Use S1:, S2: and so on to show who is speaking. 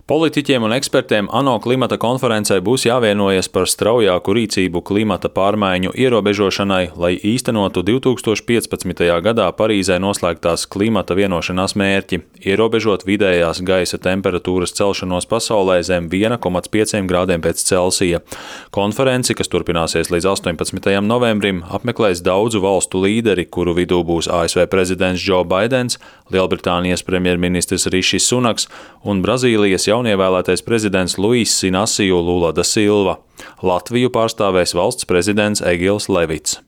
S1: Politiķiem un ekspertiem ANO klimata konferencē būs jāvienojas par straujāku rīcību klimata pārmaiņu ierobežošanai, lai īstenotu 2015. gadā Parīzē noslēgtās klimata vienošanās mērķi – ierobežot vidējās gaisa temperatūras celšanos pasaulē zem 1,5 grādiem pēc Celsija. Konferenci, kas turpināsies līdz 18. novembrim, apmeklēs daudzu valstu līderi, kuru vidū būs ASV prezidents Joe Baidens, Lielbritānijas premjerministrs Rišis Sunaks un Brazīlijas jaunievēlētais prezidents Luis Inacio Lula da Silva. Latviju pārstāvēs valsts prezidents Egils Levits.